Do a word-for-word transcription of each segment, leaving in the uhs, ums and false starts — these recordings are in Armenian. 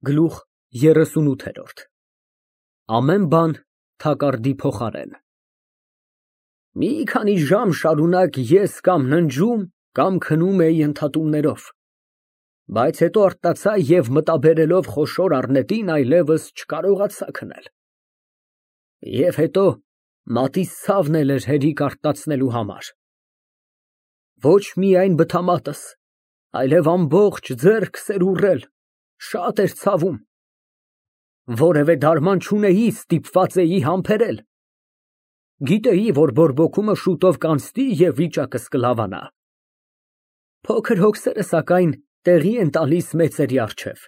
Գլուխ երեսունութ Ամեն բան թակարդի փոխարեն Մի քանի ժամ շարունակ ես կամ ննջում, կամ քնում էի ընդհատումներով, բայց հետո արթնացա և մտաբերելով խոշոր առնետին այլևս չկարողացա քնել։ Եվ հետո մատիս ցավն էլ էր հերիք արթնացնելու համար։ Ոչ միայն բթամատս, այլև ամբողջ ձեռքս էր ուռել, շատ էր ցավում։ Որևէ դարման չունեի, ստիպված էի համբերել։ Գիտեի, որ բորբոքումը շուտով կանցնի և վիճակս կլավանա։ Փոքր հոգսերը, սակայն, տեղի են տալիս մեծերի առջև։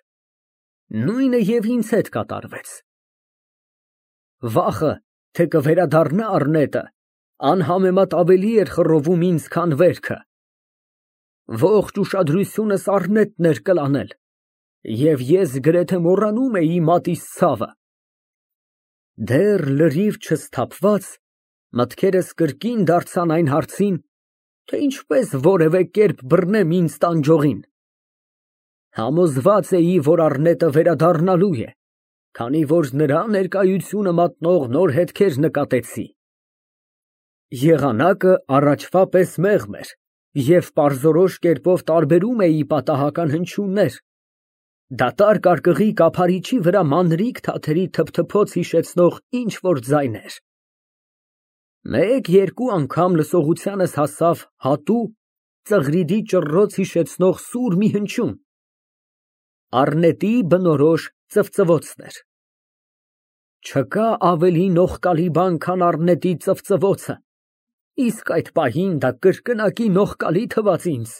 Նույնը և ինձ հետ կատարվեց։ Վախը, թե կվերադառնա առնետը, անհամեմատ ավելի էր խռովում ինձ, քան վերքը։ Ողջ ուշադրությունս առնետն էր կլանել, և ես գրեթե մոռանում էի մատիս ցավը։ Դեռ լրիվ չսթափված, մտքերս կրկին դարձան այն հարցին, թե ինչպես որևէ կերպ բռնեմ ինձ տանջողին։ Համոզված էի, որ առնետը վերադառնալու է, քանի որ նրա ներկայությունը մատնող նոր հետքեր նկատեցի։ Եղանակը առաջվա պես մեղմ էր, և պարզորոշ կերպով տարբերում էի պատահական հնչյուններ, դատարկարկղի կափարիչի վրա մանրիկ թաթերի թփթփոց հիշեցնող ինչ֊որ ձայներ։ Մեկ֊երկու անգամ լսողությանս հասավ հատու, ծղրիդի ճռռոց հիշեցնող սուր մի հնչյուն։ Առնետի բնորոշ ծվծվոցն էր։ Չկա ավելի նողկալի բան, քան առնետի ծվծվոցը, իսկ այդ պահին դա կրկնակի նողկալի թվաց ինձ։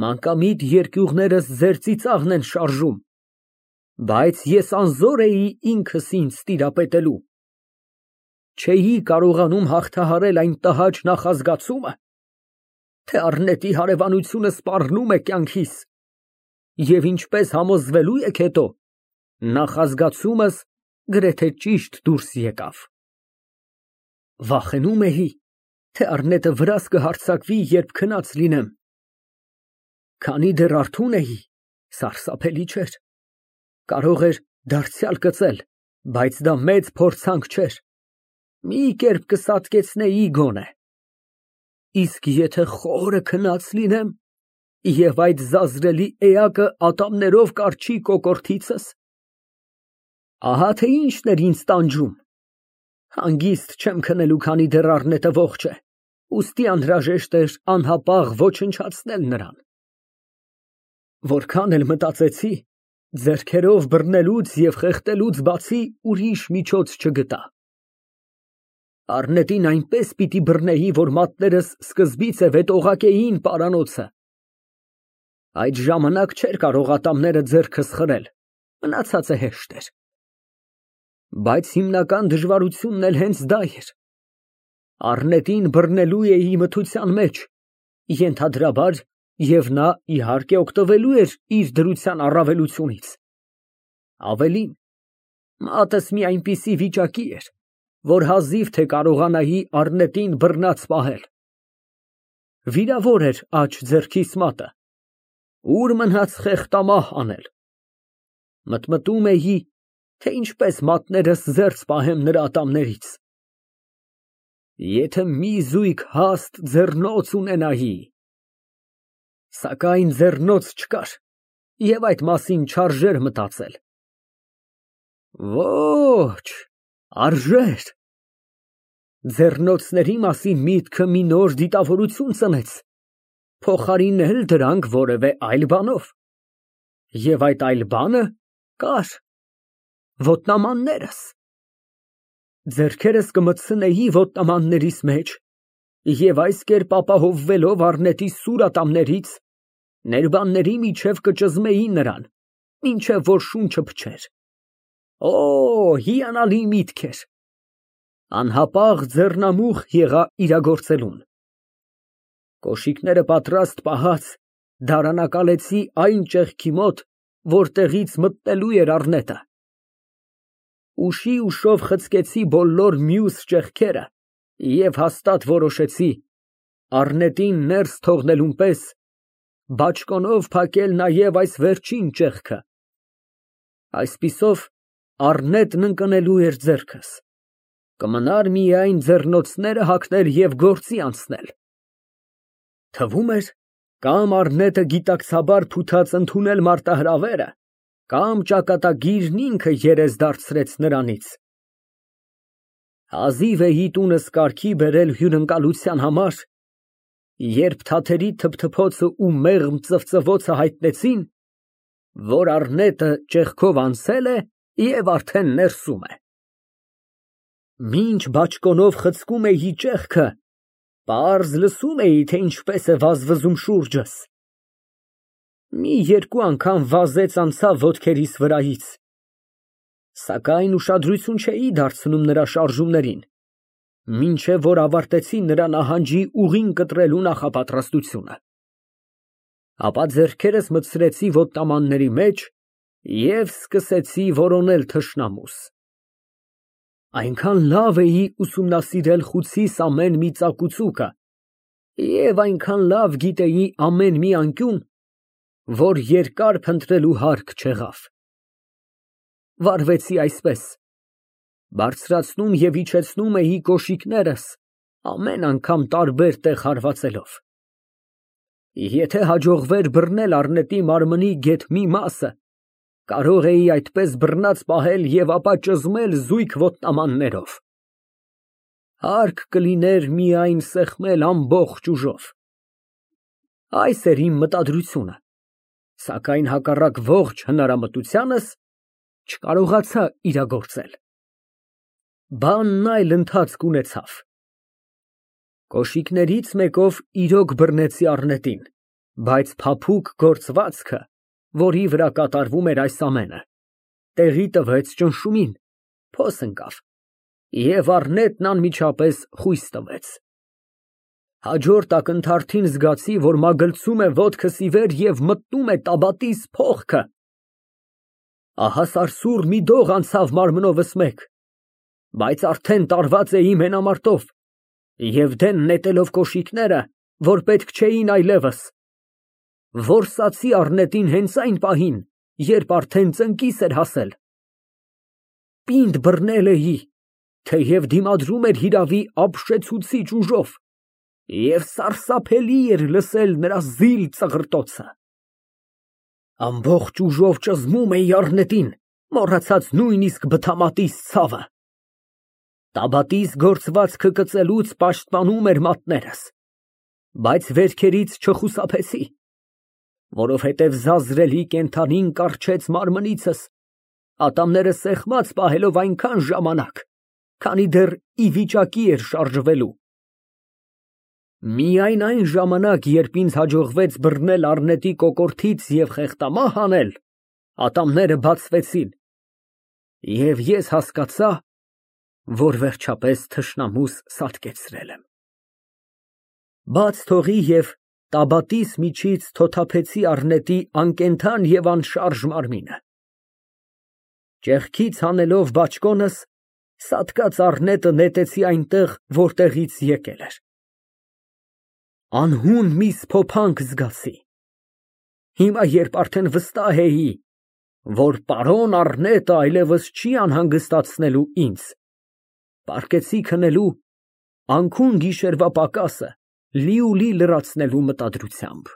Մանկամիտ երկյուղներս ձեր ծիծաղն են շարժում, բայց ես անզոր էի ինքս ինձ տիրապետելու։ Չէի կարողանում հաղթահարել այն տհաճ նախազգացումը, թե առնետի հարևանությունը սպառնում է կյանքիս, և ինչպես համոզվելու եք հետո, նախազգացումս գրեթե ճիշտ դուրս եկավ։ Վախենում էի, թե առնետը վրաս կհարձակվի, երբ քնած լինեմ։ Քանի դեռ արթուն էի, սարսափելի չէր, կարող էր դարձյալ կծել, բայց դա մեծ փորձանք չէր, մի կերպ կսատկեցնեի գոնե։ Իսկ եթե խորը քնած լինեմ, և այդ զազրելի էակը ատամներով կառչի կոկորդիցս։ Ահա թե ինչն էր ինձ տանջում։ Հանգիստ չեմ քնելու, քանի դեռ առնետը ողջ է, ուստի անհրաժեշտ էր անհապաղ ոչնչացնել նրան։ Որքան էլ մտածեցի, ձեռքերով բռնելուց և խեղդելուց բացի ուրիշ միջոց չգտա։ Առնետին այնպես պիտի բռնեի, որ մատներս սկզբից է վետօղակեին պարանոցը։ Այդ ժամանակ չէր կարող ատամները ձեռքս խրել, մնացածը հեշտ էր։ Բայց հիմնական դժվարությունն էլ հենց դա էր։ Առնետին բռնելու էի մթության մեջ, ենթադրաբար, և նա, իհարկե, օգտվելու էր իր դրության առավելությունից։ Ավելին, մատս մի այնպիսի վիճակի էր, որ հազիվ թե կարողանայի առնետին բռնած պահել։ Վիրավոր էր աջ ձեռքիս մատը, ուր մնաց խեղդամահ անել։ Մտմտում էի, թե ինչպես մատներս զերծ պահեմ նրա ատամներից։ Եթե մի զույգ հաստ ձեռնոց ունենայի։ Սակայն ձեռնոց չկար, և այդ մասին չարժեր մտածել։ Ոչ, արժեր։ Ձեռնոցների մասին միտքը մի նոր դիտավորություն ծնեց, փոխարինել դրանք որևէ այլ բանով։ Եվ այդ այլ բանը կար։ Ոտնամաններս։ Ձեռքերս կմտցնեի ոտնամաններիս մեջ և այս կերպ ապահովվելով առնետի սուր ատամներից, ներբանների միջև կճզմեի նրան, մինչև որ շունչը փչեր։ Օ, հիանալի միտք էր։ Անհապաղ ձեռնամուխ եղա իրագործելուն։ Կոշիկները պատրաստ պահած, դարանակալեցի այն ճեղքի մոտ, որտեղից մտնելու էր առնետը։ Ուշի ուշով խցկեցի բոլոր մյուս ճեղքերը և հաստատ որոշեցի, առնետին ներս թողնելուն պես, բաճկոնով փակել նաև այս վերջին ճեղքը, Այսպիսով առնետն ընկնելու էր ձեռքս, կմնար միայն ձեռնոցները հագնել և գործի անցնել։ Թվում էր, կամ առնետը գիտակցաբար փութած ընդունել մարտահրավերը, կամ ճակատագիրն ինքը երես դարձրեց նրանից։ Հազիվ էի տունս կարգի բերել հյուրընկալության համար, երբ թաթերի թփթփոցն ու մեղմ ծվծվոցը հայտնեցին, որ առնետը ճեղքով անցել է և արդեն ներսում է։ Մինչ բաճկոնով խցկում էի ճեղքը, պարզ լսում էի, թե ինչպես է վազվզում շուրջս։ Մի երկու անգամ վազեց անցավ ոտքերիս վրայից, սակայն ուշադրություն չէի դարձնում նրա շարժումներին, մինչև որ ավարտեցի նրա նահանջի ուղին կտրելու նախապատրաստությունը։ Ապա ձեռքերս մտցրեցի ոտնամանների մեջ և սկսեցի որոնել թշնամուս։ Այնքան լավ էի ուսումնասիրել խուցիս ամեն մի ծակուծուկը և այնքան լավ գիտեի ամեն մի անկյուն, որ երկար փնտրելու հարկ չեղավ։ Վարվեցի այսպես. բարձրացնում և իջեցնում էի կոշիկներս, ամեն անգամ տարբեր տեղ հարվածելով։ Եթե հաջողվեր բռնել առնետի մարմնի գեթ մի մասը, կարող էի այդպես բռնած պահել և ապա ճզմել զույգ ոտնամաններով։ Հարկ կլիներ միայն սեղմել ամբողջ ուժով։ Այս էր իմ մտադրությունը, սակայն հակառակ ողջ հնարամտությանս չկարողացա իրագործել։ Բանն այլ ընթացք ունեցավ։ Կոշիկներից մեկով իրոք բռնեցի առնետին, բայց փափուկ գործվածքը, որի վրա կատարվում էր այս ամենը, տեղի տվեց ճնշումին, փոս ընկավ, և առնետն անմիջապես խույս տվեց։ Հաջորդ ակնթարթին զգացի, որ մագլցում է ոտքս ի վեր և մտնում է տաբատիս փողքը։ Ահա սարսուռ մի դող անցավ մարմնովս մեկ, բայց արդեն տարված էի մենամարտով և դեն նետելով կոշիկները, որ պետք չէին այլևս, որսացի առնետին հենց այն պահին, երբ արդեն ծնկիս էր հասել։ Պինդ բռնել էի, թեև դիմադրում էր հիրավի ապշեցուցիչ ուժով, և սարսափելի էր լսել նրա զիլ ծղրտոցը։ Ամբողջ ուժով ճզմում էի առնետին, մոռացած նույնիսկ բթամատիս ցավը։ Տաբատիս գործվածքը կծելուց պաշտպանում էր մատներս, բայց վերքերից չխուսափեցի, որովհետև զազրելի կենդանին կառչեց մարմնիցս, ատամները սեղմած պահելով այնքան ժամանակ, քանի դեռ ի վիճակի էր շարժվելու։ Միայն այն ժամանակ, երբ ինձ հաջողվեց բռնել առնետի կոկորդից և խեղտամահ անել, ատամները բացվեցին, և ես հասկացա, որ վերջապես թշնամուս սատկեցրել եմ։ Բաց թողի և տաբատիս միջից թոթափեցի առնետի անկենդան և անշարժ մարմինը։ Ճեղքից հանելով բաճկոնս, սատկած առնետը նետեցի այնտեղ, որտեղից եկել էր։ Անհուն մի սփոփանք զգացի։ Հիմա, երբ արդեն վստահ էի, որ պարոն առնետը այլևս չի անհանգստացնելու ինձ, պառկեցի քնելու, անքուն գիշերվա պակասը լիուլի լրացնելու մտադրությամբ։